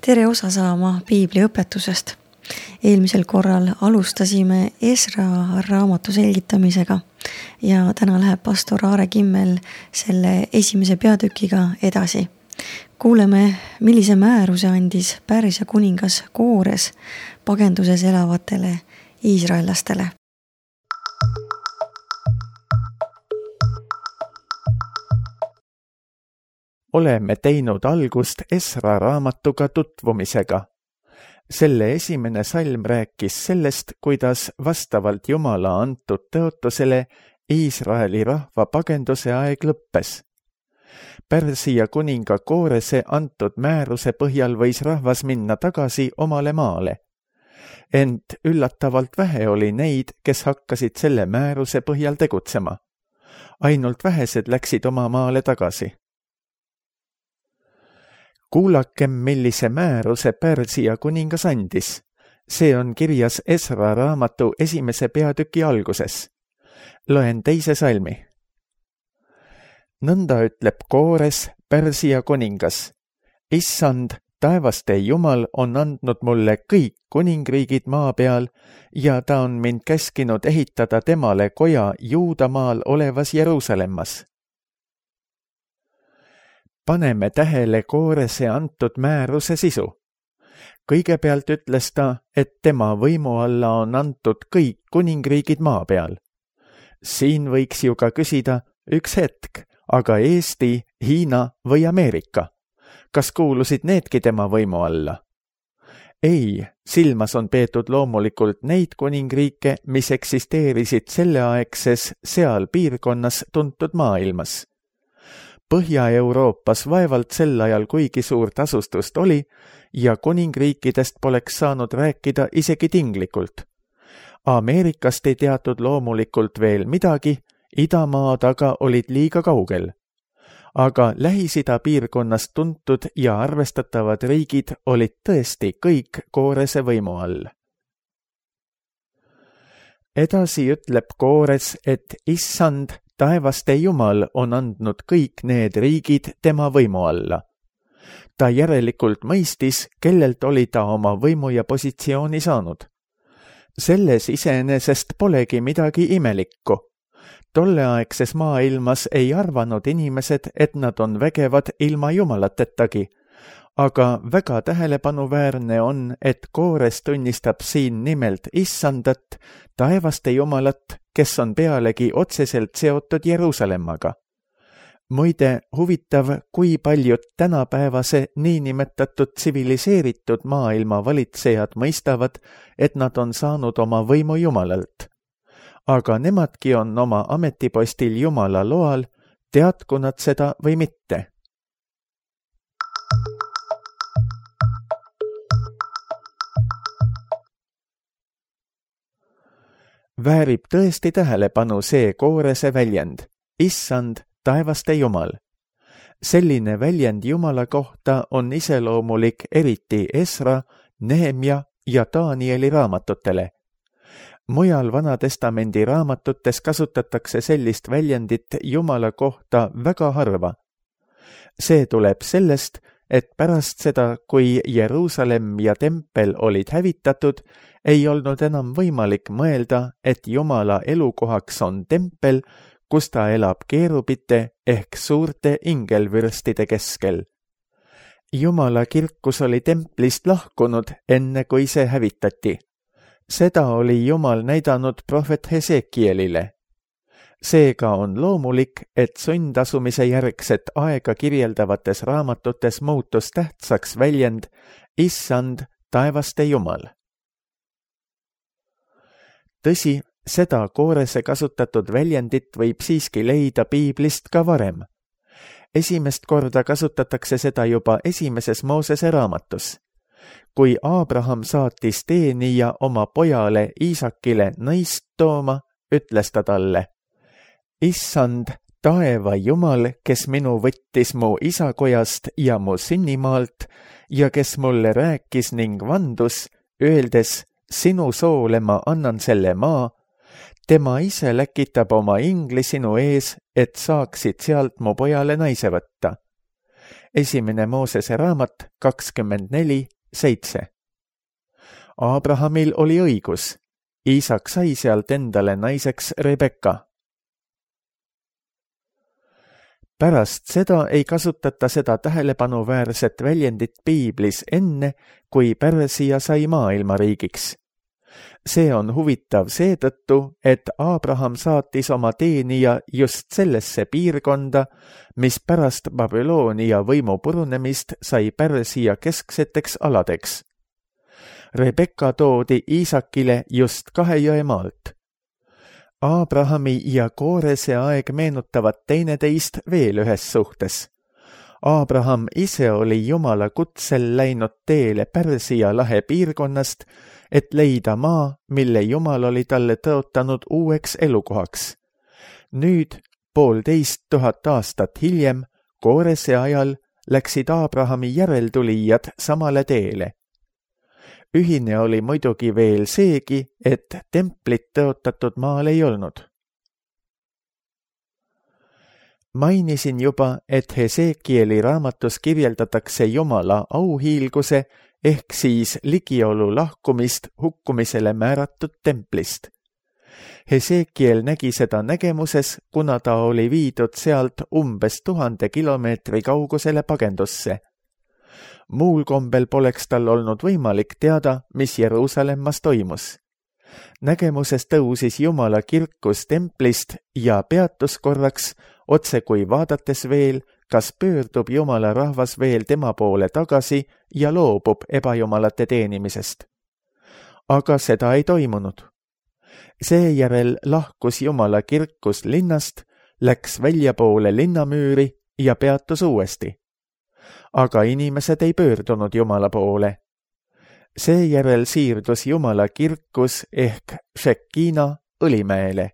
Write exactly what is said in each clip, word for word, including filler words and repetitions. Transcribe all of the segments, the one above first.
tere osa saama piibli õpetusest. Eelmisel korral alustasime Esra raamatu selgitamisega ja täna läheb pastor Aare Kimmel selle esimese peatükiga edasi. Kuuleme, millise määruse andis Pärsia kuningas Koores pagenduses elavatele iisraellastele. Oleme teinud algust Esra raamatuga tutvumisega. Selle esimene salm rääkis sellest, kuidas vastavalt Jumala antud tõotusele Iisraeli rahva pagenduse aeg lõppes. Pärsia kuninga Koorese antud määruse põhjal võis rahvas minna tagasi omale maale. Ent üllatavalt vähe oli neid, kes hakkasid selle määruse põhjal tegutsema. Ainult vähesed läksid oma maale tagasi. Kuulakem, millise määruse Pärsia kuningas andis. See on kirjas Esra raamatu esimese peatüki alguses. Loen teise salmi. Nõnda ütleb Koores, Pärsia kuningas. Issand, taevaste Jumal on andnud mulle kõik kuningriigid maa peal ja ta on mind käskinud ehitada temale koja Juudamaal olevas Jeruusalemmas. Paneme tähele Koorese antud määruse sisu. Kõigepealt ütles ta, et tema võimu alla on antud kõik kuningriigid maa peal. Siin võiks ju ka küsida üks hetk, aga Eesti, Hiina või Ameerika. Kas kuulusid needki tema võimu alla? Ei, silmas on peetud loomulikult neid kuningriike, mis eksisteerisid selleaegses seal piirkonnas tuntud maailmas. Põhja-Euroopas vaevalt sel ajal kuigi suurt asustust oli ja kuningriikidest poleks saanud rääkida isegi tinglikult. Ameerikast ei teatud loomulikult veel midagi, idamaad aga olid liiga kaugel. Aga Lähis-Ida piirkonnast tuntud ja arvestatavad riigid olid tõesti kõik Koorese võimu all. Edasi ütleb Koores, et issand, taevaste Jumal on andnud kõik need riigid tema võimu alla. Ta järelikult mõistis, kellelt oli ta oma võimu ja positsiooni saanud. Selles iseenesest polegi midagi imelikku. Tolleaegses maailmas ei arvanud inimesed, et nad on vägevad ilma Jumalatetagi, aga väga tähelepanuväärne on, et Koores tunnistab siin nimelt issandat, taevaste Jumalat, kes on pealegi otseselt seotud Jeruusalemmaga. Muide, huvitav, kui paljud tänapäevase niinimetatud tsiviliseeritud maailma valitsejad mõistavad, et nad on saanud oma võimu Jumalalt. Aga nemadki on oma ametipostil Jumala loal, teadku nad seda või mitte. Väärib tõesti tähelepanu see Koorese väljend, issand, taevaste Jumal. Selline väljend Jumala kohta on iseloomulik eriti Esra, Nehemja ja Danieli raamatutele. Mujal Vanatestamendi raamatutes kasutatakse sellist väljendit Jumala kohta väga harva. See tuleb sellest, et pärast seda, kui Jeruusalemm ja tempel olid hävitatud, ei olnud enam võimalik mõelda, et Jumala elukohaks on tempel, kus ta elab keerubite ehk suurte ingelvürstide keskel. Jumala kirkus oli templist lahkunud, enne kui see hävitati. Seda oli Jumal näidanud prohvet Hesekielile. Seega on loomulik, et sundasumise järgset aega kirjeldavates raamatutes muutus tähtsaks väljend issand, taevaste Jumal. Tõsi, seda Koorese kasutatud väljendit võib siiski leida piiblist ka varem. Esimest korda kasutatakse seda juba esimeses Moosese raamatus. Kui Abraham saatis teenija oma pojale Iisakile naist tooma, ütles ta talle, issand, taeva Jumal, kes minu võttis mu isakojast ja mu sünnimaalt ja kes mulle rääkis ning vandus, öeldes, sinu soole ma annan selle maa, tema ise läkitab oma ingli sinu ees, et saaksid sealt mu pojale naise võtta. esimene Moosese raamat kakskümmend neli seitse. Abrahamil oli õigus, Iisak sai sealt endale naiseks Rebekka. Pärast seda ei kasutata seda tähelepanuväärset väljendit piiblis enne, kui Pärsia sai maailmariigiks. See on huvitav seetõttu, et Abraham saatis oma teenija just sellesse piirkonda, mis pärast Babyloonia võimu purunemist sai Pärsia keskseteks aladeks. Rebekka toodi Iisakile just kahe jõe maalt. Abrahami ja Koorese aeg meenutavad teineteist veel ühes suhtes. Abraham ise oli Jumala kutsel läinud teele Pärsia lahe piirkonnast, et leida maa, mille Jumal oli talle tõotanud uueks elukohaks. Nüüd, poolteist tuhat aastat hiljem, Koorese ajal, läksid Abrahami järeltulijad samale teele. Ühine oli muidugi veel seegi, et templit tõotatud maal ei olnud. Mainisin juba, et Hesekieli raamatus kirjeldatakse Jumala auhiilguse ehk siis ligiolu lahkumist hukkumisele määratud templist. Hesekiel nägi seda nägemuses, kuna ta oli viidud sealt umbes tuhande kilomeetri kaugusele pagendusse. Muul kombel poleks tal olnud võimalik teada, mis Jeruusalemmas toimus. Nägemuses tõusis Jumala kirkus templist ja peatus korraks, otse kui vaadates veel, kas pöördub Jumala rahvas veel tema poole tagasi ja loobub ebajumalate teenimisest. Aga seda ei toimunud. Seejärel lahkus Jumala kirkus linnast, läks väljapoole linnamüüri ja peatus uuesti. Aga inimesed ei pöördunud Jumala poole. Seejärel siirdus Jumala kirkus ehk Šekina Õlimäele.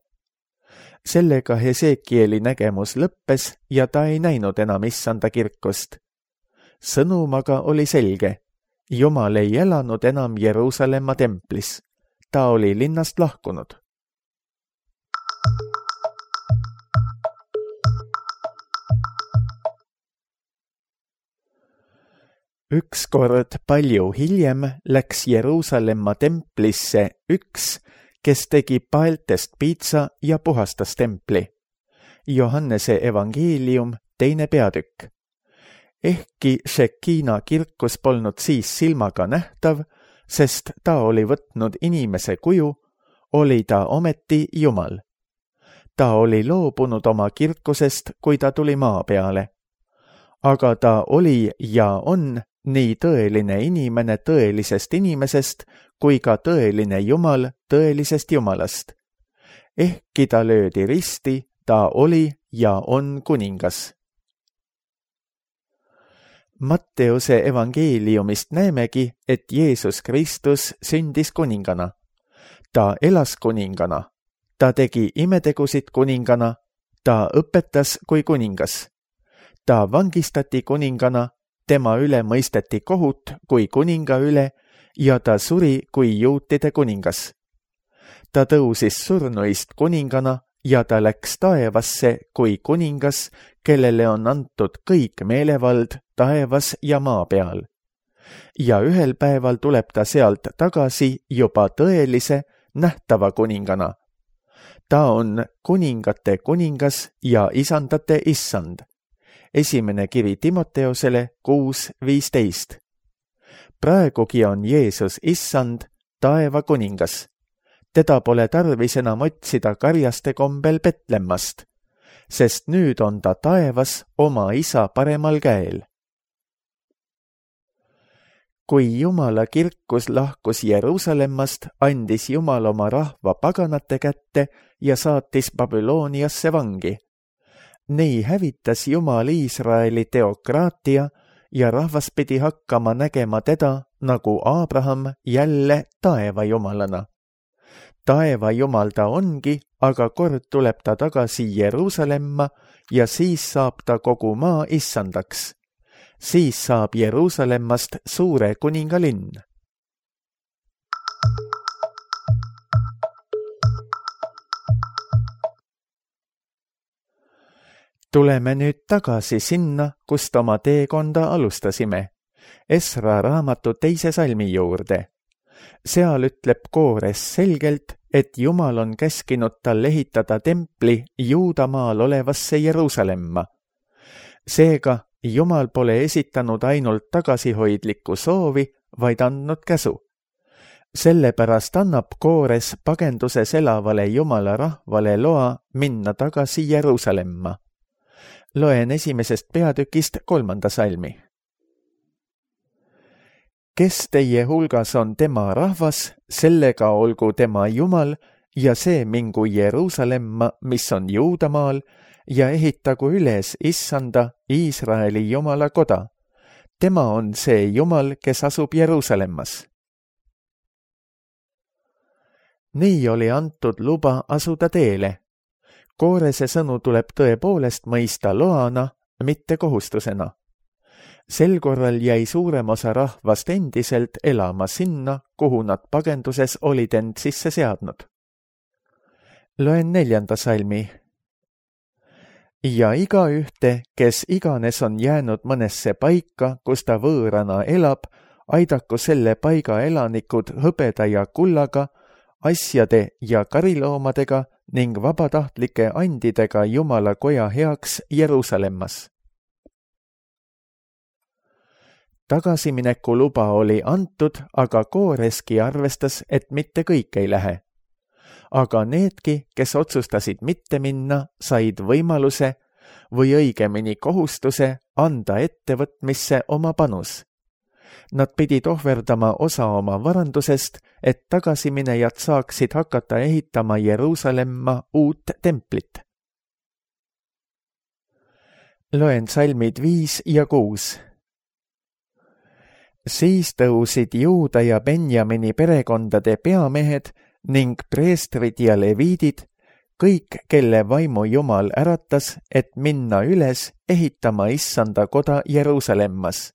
Sellega Hesekieli nägemus lõppes ja ta ei näinud enam issanda kirkust. Sõnum aga oli selge. Jumal ei elanud enam Jeruusalemma templis. Ta oli linnast lahkunud. Ükskord palju hiljem läks Jeruusalemma templisse üks, kes tegi paeltest piitsa ja puhastas templi. Johannese evangeelium, teine peatükk. Ehkki Šekina kirkus polnud siis silmaga nähtav, sest ta oli võtnud inimese kuju, oli ta ometi Jumal. Ta oli loobunud oma kirkusest, kui ta tuli maa peale. Aga ta oli ja on nii tõeline inimene tõelisest inimesest, kui ka tõeline Jumal tõelisest Jumalast. Ehkki ta löödi risti, ta oli ja on kuningas. Matteuse evangeeliumist näemegi, et Jeesus Kristus sündis kuningana. Ta elas kuningana. Ta tegi imetegusid kuningana. Ta õpetas kui kuningas. Ta vangistati kuningana. Tema üle mõisteti kohut kui kuninga üle ja ta suri kui juutide kuningas. Ta tõusis surnuist kuningana ja ta läks taevasse kui kuningas, kellele on antud kõik meelevald taevas ja maa peal. Ja ühel päeval tuleb ta sealt tagasi juba tõelise, nähtava kuningana. Ta on kuningate kuningas ja isandate issand. Esimene kiri Timoteosele kuus viisteist. Praegugi on Jeesus issand, taeva kuningas. Teda pole tarvis enam otsida karjaste kombel Betlemmast, sest nüüd on ta taevas oma isa paremal käel. Kui Jumala kirkus lahkus Jeruusalemmast, andis Jumal oma rahva paganate kätte ja saatis Babyloniasse vangi. Nii hävitas Jumal Iisraeli teokraatia ja rahvas pidi hakkama nägema teda nagu Abraham jälle taeva jumalana. Taeva jumal ta ongi, aga kord tuleb ta tagasi Jeruusalemma ja siis saab ta kogu maa issandaks. Siis saab Jeruusalemmast suure kuningalinn. Tuleme nüüd tagasi sinna, kust oma teekonda alustasime, Esra raamatu teise salmi juurde. Seal ütleb Koores selgelt, et Jumal on käskinud tal ehitada templi Juudamaal olevasse Jeruusalemma. Seega Jumal pole esitanud ainult tagasihoidlikku soovi, vaid andnud käsu. Sellepärast annab Koores pagenduses elavale Jumala rahvale loa minna tagasi Jeruusalemma. Loen esimesest peatükist kolmanda salmi. Kes teie hulgas on tema rahvas, sellega olgu tema Jumal ja see mingu Jeruusalemma, mis on Juudamaal, ja ehitagu üles issanda Iisraeli Jumala koda. Tema on see Jumal, kes asub Jeruusalemmas. Nii oli antud luba asuda teele. Koorese sõnu tuleb tõepoolest mõista loana, mitte kohustusena. Sel korral jäi suurem osa rahvast endiselt elama sinna, kuhu nad pagenduses olid end sisse seadnud. Loen neljanda salmi. Ja igaühte, kes iganes on jäänud mõnesse paika, kus ta võõrana elab, aidaku selle paiga elanikud hõbeda ja kullaga, asjade ja kariloomadega ning vabatahtlike andidega Jumala koja heaks Jeruusalemmas. Tagasimineku luba oli antud, aga Kooreski arvestas, et mitte kõik ei lähe. Aga needki, kes otsustasid mitte minna, said võimaluse või õigemini kohustuse anda ettevõtmisse oma panus. Nad pidid ohverdama osa oma varandusest, et tagasiminejad saaksid hakata ehitama Jeruusalemma uut templit. Loen salmid viis ja kuus. Siis tõusid Juuda ja Benjamini perekondade peamehed ning preestrid ja leviidid, kõik, kelle vaimu Jumal äratas, et minna üles ehitama issanda koda Jeruusalemmas.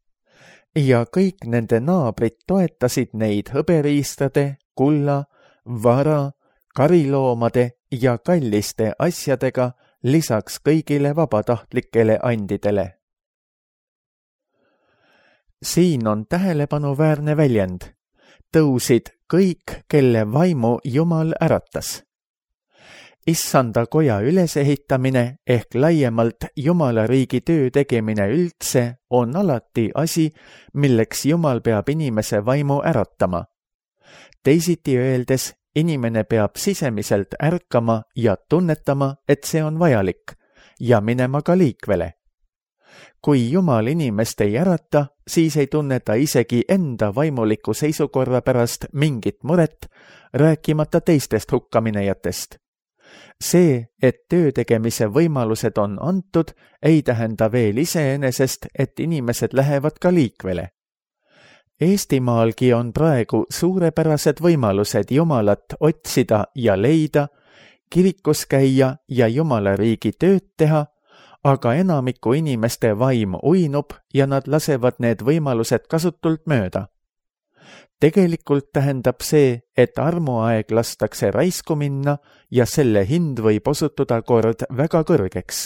Ja kõik nende naabrid toetasid neid hõberiistade, kulla, vara, kariloomade ja kalliste asjadega lisaks kõigile vabatahtlikele andidele. Siin on tähelepanuväärne väljend. Tõusid kõik, kelle vaimu Jumal äratas. Issanda koja ülesehitamine ehk laiemalt Jumala riigi töö tegemine üldse on alati asi, milleks Jumal peab inimese vaimu äratama. Teisiti öeldes, inimene peab sisemiselt ärkama ja tunnetama, et see on vajalik ja minema ka liikvele. Kui Jumal inimest ei ärata, siis ei tunne ta isegi enda vaimuliku seisukorra pärast mingit muret, rääkimata teistest hukkaminejatest. See, et töö tegemise võimalused on antud, ei tähenda veel iseenesest, et inimesed lähevad ka liikvele. Eestimaalgi on praegu suurepärased võimalused Jumalat otsida ja leida, kirikus käia ja Jumala riigi tööd teha, aga enamiku inimeste vaim uinub ja nad lasevad need võimalused kasutult mööda. Tegelikult tähendab see, et armuaeg lastakse raisku minna ja selle hind võib osutuda kord väga kõrgeks.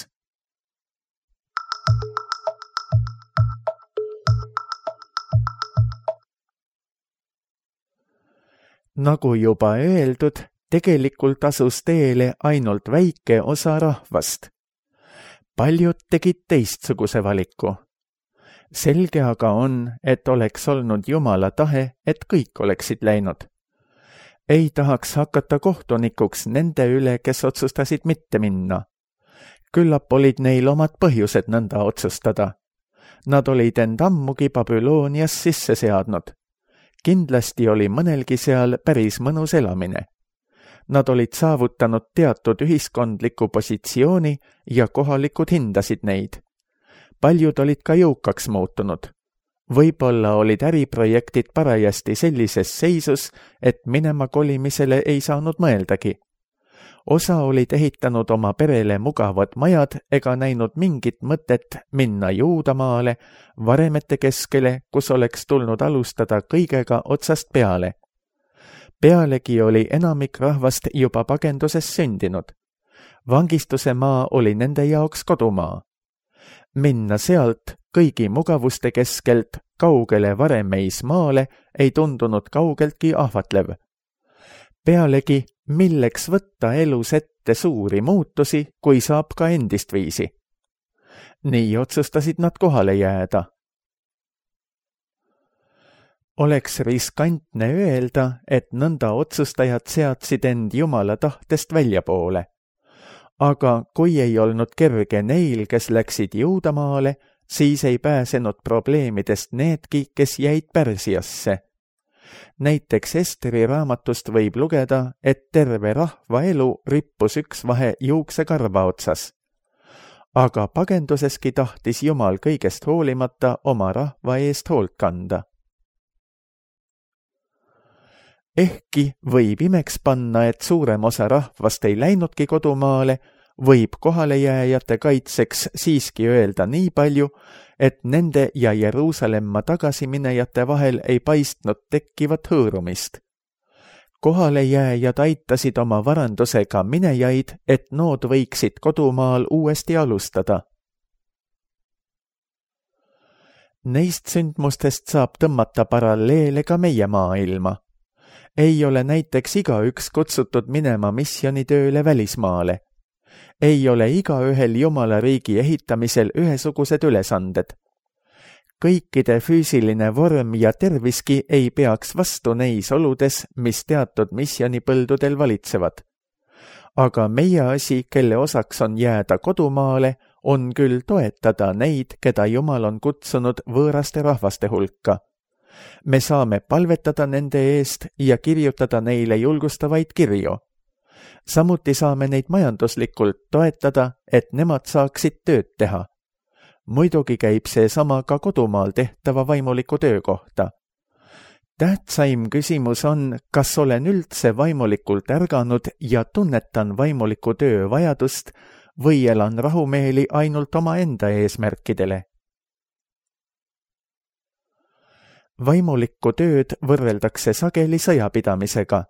Nagu juba öeldud, tegelikult asus teele ainult väike osa rahvast. Paljud tegid teistsuguse valiku. Selge aga on, et oleks olnud Jumala tahe, et kõik oleksid läinud. Ei tahaks hakata kohtunikuks nende üle, kes otsustasid mitte minna. Küllap olid neil omad põhjused nõnda otsustada. Nad olid end ammugi Babylonias sisse seadnud. Kindlasti oli mõnelgi seal päris mõnus elamine. Nad olid saavutanud teatud ühiskondliku positsiooni ja kohalikud hindasid neid. Paljud olid ka jõukaks muutunud. Võib-olla olid äriprojektid parajasti sellises seisus, et minema kolimisele ei saanud mõeldagi. Osa olid ehitanud oma perele mugavad majad ega näinud mingit mõtet minna Juudamaale, varemete keskele, kus oleks tulnud alustada kõigega otsast peale. Pealegi oli enamik rahvast juba pagenduses sündinud. Vangistuse maa oli nende jaoks kodumaa. Minna sealt kõigi mugavuste keskelt kaugele varemeismaale ei tundunud kaugeltki ahvatlev. Pealegi, milleks võtta elus ette suuri muutusi, kui saab ka endist viisi. Nii otsustasid nad kohale jääda. Oleks riskantne öelda, et nõnda otsustajad seadsid end Jumala tahtest väljapoole. Aga kui ei olnud kerge neil, kes läksid Juudamaale, siis ei pääsenud probleemidest needki, kes jäid Pärsiasse. Näiteks Esteri raamatust võib lugeda, et terve rahva elu rippus üks vahe juuksekarva otsas. Aga pagenduseski tahtis Jumal kõigest hoolimata oma rahva eest hoolt kanda. Ehkki võib imeks panna, et suurem osa rahvast ei läinudki kodumaale, võib kohalejääjate kaitseks siiski öelda nii palju, et nende ja Jeruusalemma tagasiminejate vahel ei paistnud tekkivat hõõrumist. Kohalejääjad aitasid oma varandusega minejaid, et nood võiksid kodumaal uuesti alustada. Neist sündmustest saab tõmmata paralleele ka meie maailma. Ei ole näiteks igaüks kutsutud minema misjonitööle välismaale. Ei ole igaühel Jumala riigi ehitamisel ühesugused ülesanded. Kõikide füüsiline vorm ja terviski ei peaks vastu neis oludes, mis teatud misjonipõldudel valitsevad. Aga meie asi, kelle osaks on jääda kodumaale, on küll toetada neid, keda Jumal on kutsunud võõraste rahvaste hulka. Me saame palvetada nende eest ja kirjutada neile julgustavaid kirju. Samuti saame neid majanduslikult toetada, et nemad saaksid tööd teha. Muidugi käib see sama ka kodumaal tehtava vaimuliku töö kohta. Tähtsaim küsimus on, kas olen üldse vaimulikult ärganud ja tunnetan vaimuliku töö vajadust või elan rahumeeli ainult oma enda eesmärkidele. Vaimulikku tööd võrreldakse sageli sõjapidamisega.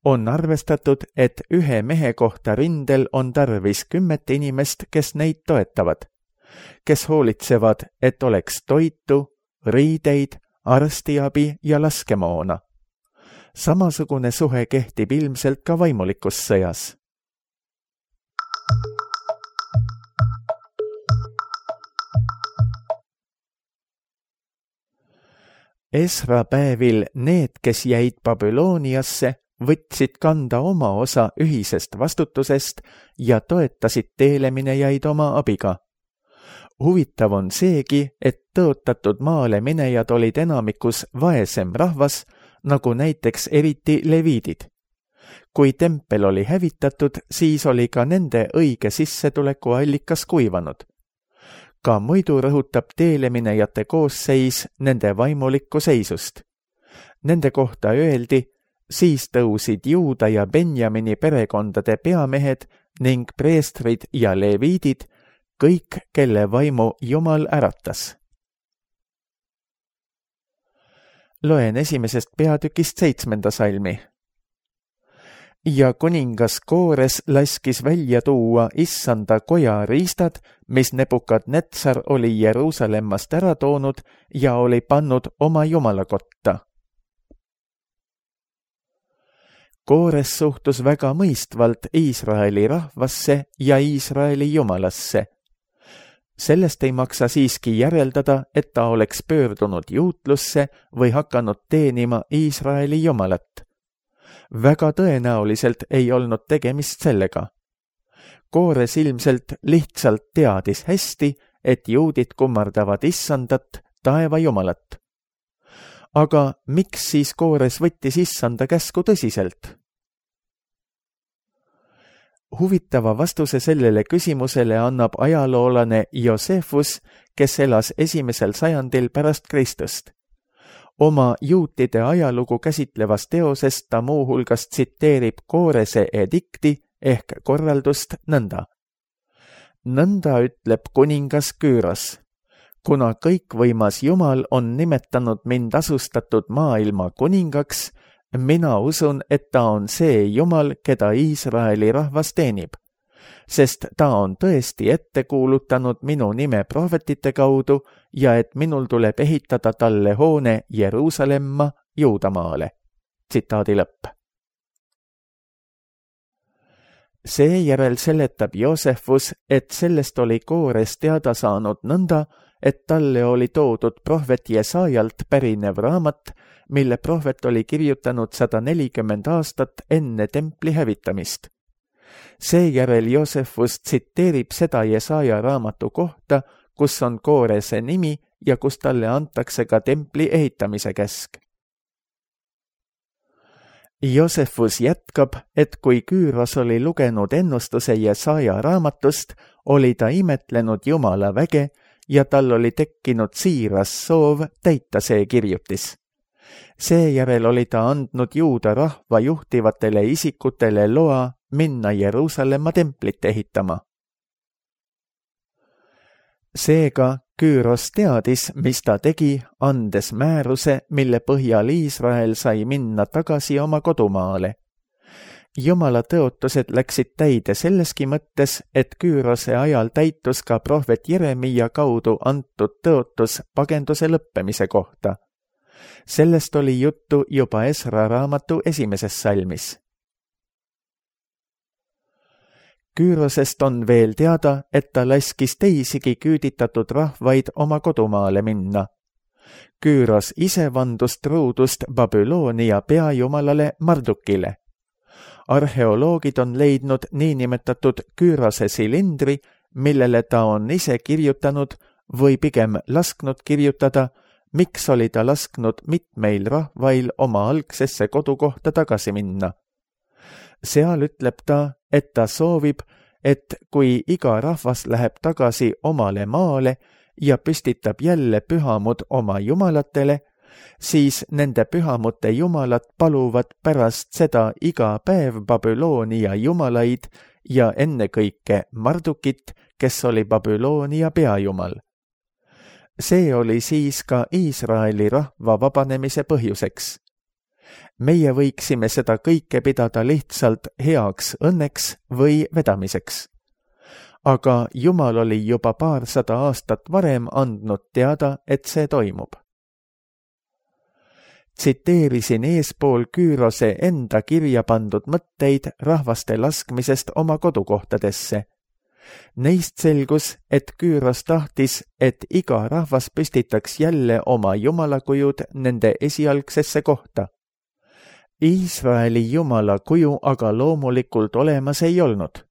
On arvestatud, et ühe mehe kohta rindel on tarvis kümmet inimest, kes neid toetavad, kes hoolitsevad, et oleks toitu, riideid, arstiabi ja laskemoona. Samasugune suhe kehtib ilmselt ka vaimulikus sõjas. Esra päevil need, kes jäid Babyloniasse, võtsid kanda oma osa ühisest vastutusest ja toetasid teeleminejaid oma abiga. Huvitav on seegi, et tõotatud maale minejad olid enamikus vaesem rahvas, nagu näiteks eriti leviidid. Kui tempel oli hävitatud, siis oli ka nende õige sissetuleku allikas kuivanud. Ka muidu rõhutab teeleminejate koosseis nende vaimulikku seisust. Nende kohta öeldi, siis tõusid Juuda ja Benjamini perekondade peamehed ning preestrid ja leviidid, kõik, kelle vaimu Jumal äratas. Loen esimesest peatükist seitsmenda salmi. Ja kuningas Koores laskis välja tuua issanda koja riistad, mis Nebukadnetsar oli Jeruusalemmast ära toonud ja oli pannud oma jumalakotta. Koores suhtus väga mõistvalt Iisraeli rahvasse ja Iisraeli jumalasse. Sellest ei maksa siiski järeldada, et ta oleks pöördunud juutlusse või hakanud teenima Iisraeli jumalat. Väga tõenäoliselt ei olnud tegemist sellega. Koores ilmselt lihtsalt teadis hästi, et juudid kummardavad issandat, taeva jumalat. Aga miks siis Koores võttis issanda käsku tõsiselt? Huvitava vastuse sellele küsimusele annab ajaloolane Josefus, kes elas esimesel sajandil pärast Kristust. Oma juutide ajalugu käsitlevas teoses ta muuhulgas tsiteerib Koorese edikti ehk korraldust nõnda. Nõnda ütleb kuningas Küüros. Kuna kõikvõimas Jumal on nimetanud mind asustatud maailma kuningaks, mina usun, et ta on see Jumal, keda Iisraeli rahvas teenib. sest ta on tõesti ette kuulutanud minu nime prohvetite kaudu ja et minul tuleb ehitada talle hoone Jeruusalemma Juudamaale. Tsitaadi lõpp. Seejärel seletab Joosefus, et sellest oli Koores teada saanud nõnda, et talle oli toodud prohvet Jesaajalt pärinev raamat, mille prohvet oli kirjutanud sada nelikümmend aastat enne templi hävitamist. Seejärel Joosefus tsiteerib seda Jesaja raamatu kohta, kus on Koorese nimi ja kus talle antakse ka templi ehitamise käsk. Joosefus jätkab, et kui Küüros oli lugenud ennustuse Jesaja raamatust, oli ta imetlenud Jumala väge ja tal oli tekkinud siiras soov täita see kirjutis. Seejärel oli ta andnud Juuda rahva juhtivatele isikutele loa minna Jeruusalemma templit ehitama. Seega Küüros teadis, mis ta tegi, andes määruse, mille põhjal Iisrael sai minna tagasi oma kodumaale. Jumala tõotused läksid täide selleski mõttes, et Küürose ajal täitus ka prohvet Jeremia kaudu antud tõotus pagenduse lõppemise kohta. Sellest oli juttu juba Esra raamatu esimeses salmis. Küürosest on veel teada, et ta laskis teisigi küüditatud rahvaid oma kodumaale minna. Küüros ise vandus truudust Babyloonia peajumalale Mardukile. Arheoloogid on leidnud niinimetatud Küürose silindri, millele ta on ise kirjutanud või pigem lasknud kirjutada, miks oli ta lasknud mitmeil rahvail oma algsesse kodukohta tagasi minna. Seal ütleb ta, et ta soovib, et kui iga rahvas läheb tagasi omale maale ja püstitab jälle pühamud oma jumalatele, siis nende pühamute jumalad paluvad pärast seda iga päev Babyloonia jumalaid ja ennekõike Mardukit, kes oli Babyloonia peajumal. See oli siis ka Iisraeli rahva vabanemise põhjuseks. Meie võiksime seda kõike pidada lihtsalt heaks õnneks või vedamiseks. Aga Jumal oli juba paarsada aastat varem andnud teada, et see toimub. Tsiteerisin eespool Küürose enda kirja pandud mõtteid rahvaste laskmisest oma kodukohtadesse. Neist selgus, et Küüros tahtis, et iga rahvas püstitaks jälle oma jumalakujud nende esialgsesse kohta. Iisraeli jumala kuju aga loomulikult olemas ei olnud.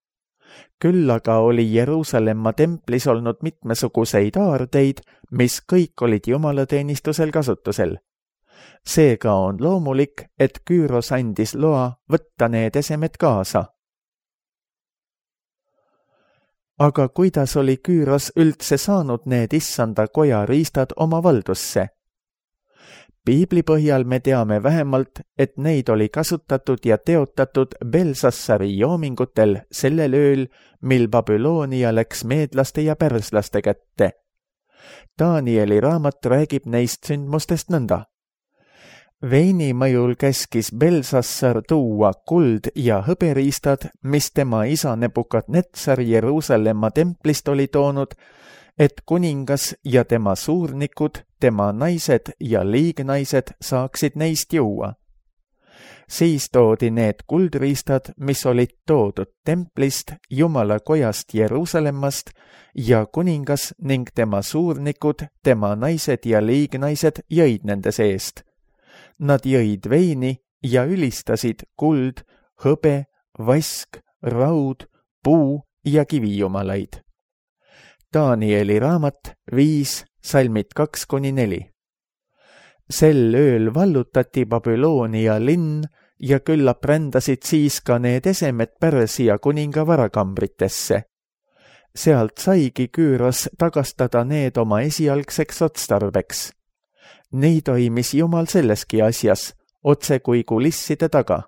Küll aga oli Jeruusalemma templis olnud mitmesuguseid aardeid, mis kõik olid jumalateenistusel kasutusel. Seega on loomulik, et Küüros andis loa võtta need esemed kaasa. Aga kuidas oli Küüros üldse saanud need issanda koja riistad oma valdusse? Piibli põhjal me teame vähemalt, et neid oli kasutatud ja teotatud Belsassari joomingutel sellel ööl, mil Babyloonia läks meedlaste ja pärslaste kätte. Danieli raamat räägib neist sündmustest nõnda. Veini mõjul käskis Belsassar tuua kuld ja hõberiistad, mis tema isa Nebukadnetsar Jeruusalemma templist oli toonud, et kuningas ja tema suurnikud, tema naised ja liignaised saaksid neist juua. Siis toodi need kuldriistad, mis olid toodud templist, Jumala kojast Jeruusalemmast, ja kuningas ning tema suurnikud, tema naised ja liignaised jõid nende seest. Nad jõid veini ja ülistasid kuld, hõbe, vask, raud, puu ja kivijumalaid. Danieli raamat viis, salmid kaks kuni neli. Sel ööl vallutati Babyloonia linn ja küllap rändasid siis ka need esemed Pärsia kuninga varakambritesse. Sealt saigi Küüros tagastada need oma esialgseks otstarbeks. Nii toimis Jumal selleski asjas, otse kui kulisside taga.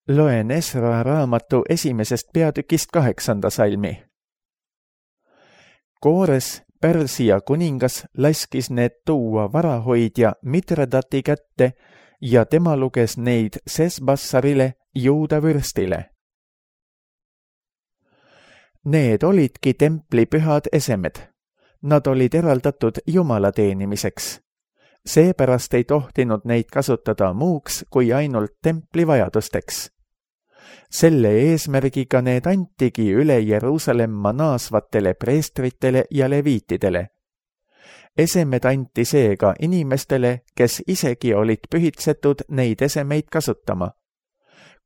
Loen Esra raamatu esimesest peatükist kaheksanda salmi. Koores, Pärsia kuningas, laskis need tuua varahoidja Mitredati kätte ja tema luges neid Sesbassarile, Juuda vürstile. Need olidki templi pühad esemed. Nad olid eraldatud Jumala teenimiseks. Seepärast ei tohtinud neid kasutada muuks kui ainult templi vajadusteks. Selle eesmärgiga need antigi üle Jeruusalemma naasvatele preestritele ja leviitidele. Esemed anti seega inimestele, kes isegi olid pühitsetud neid esemeid kasutama.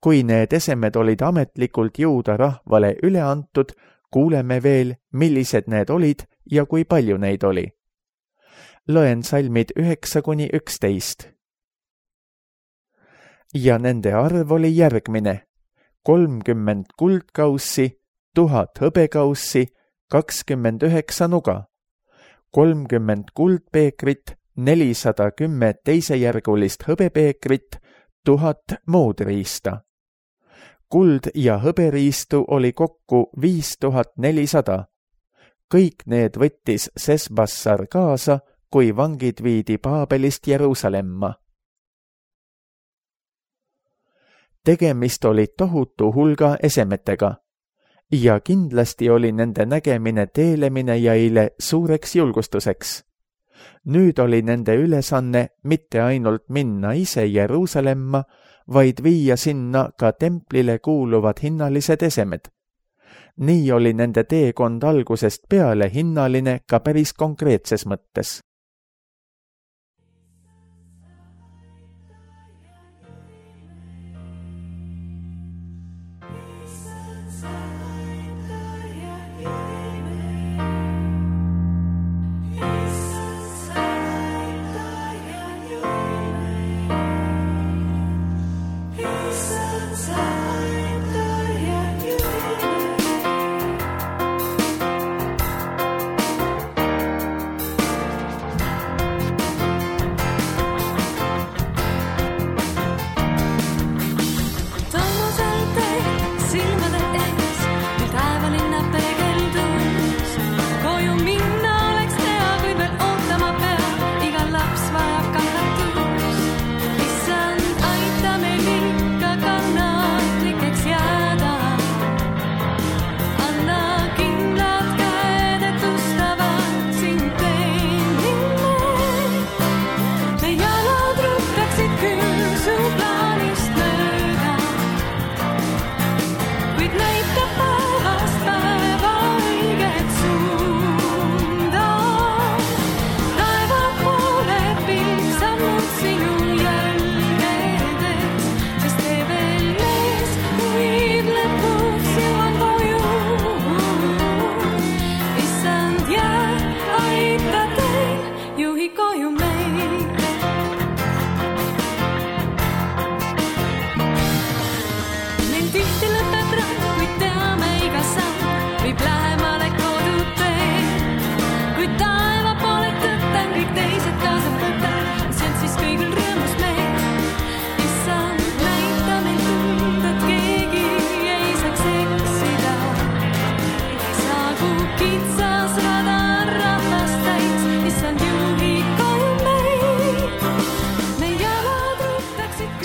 Kui need esemed olid ametlikult Juuda rahvale üle antud, kuuleme veel, millised need olid ja kui palju neid oli. Loen salmid üheksa kuni üksteist. Ja nende arv oli järgmine. kolmkümmend kuldkaussi, tuhat hõbekaussi, kakskümmend üheksa nuga, kolmkümmend kuldpeekrit, nelisada kümme teisejärgulist hõbepeekrit, tuhat muud riista. Kuld ja hõberiistu oli kokku viis tuhat nelisada. Kõik need võttis Sesbassar kaasa, kui vangid viidi Paabelist Jeruusalemma. Tegemist oli tohutu hulga esemetega ja kindlasti oli nende nägemine teelemine jäile suureks julgustuseks. Nüüd oli nende ülesanne mitte ainult minna ise Jeruusalemma, vaid viia sinna ka templile kuuluvad hinnalised esemed. Nii oli nende teekond algusest peale hinnaline ka päris konkreetses mõttes.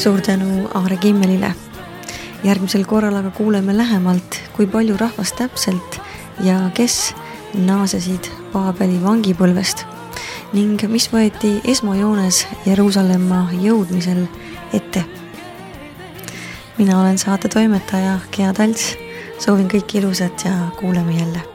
Suur tänu Aare Kimmelile. Järgmisel korral aga kuuleme lähemalt, kui palju rahvast täpselt ja kes naasesid Paabeli vangipõlvest ning mis võeti esmajoones Jeruusalemma jõudmisel ette. Mina olen saate toimetaja Gea Talts. Soovin kõik ilusat ja kuuleme jälle.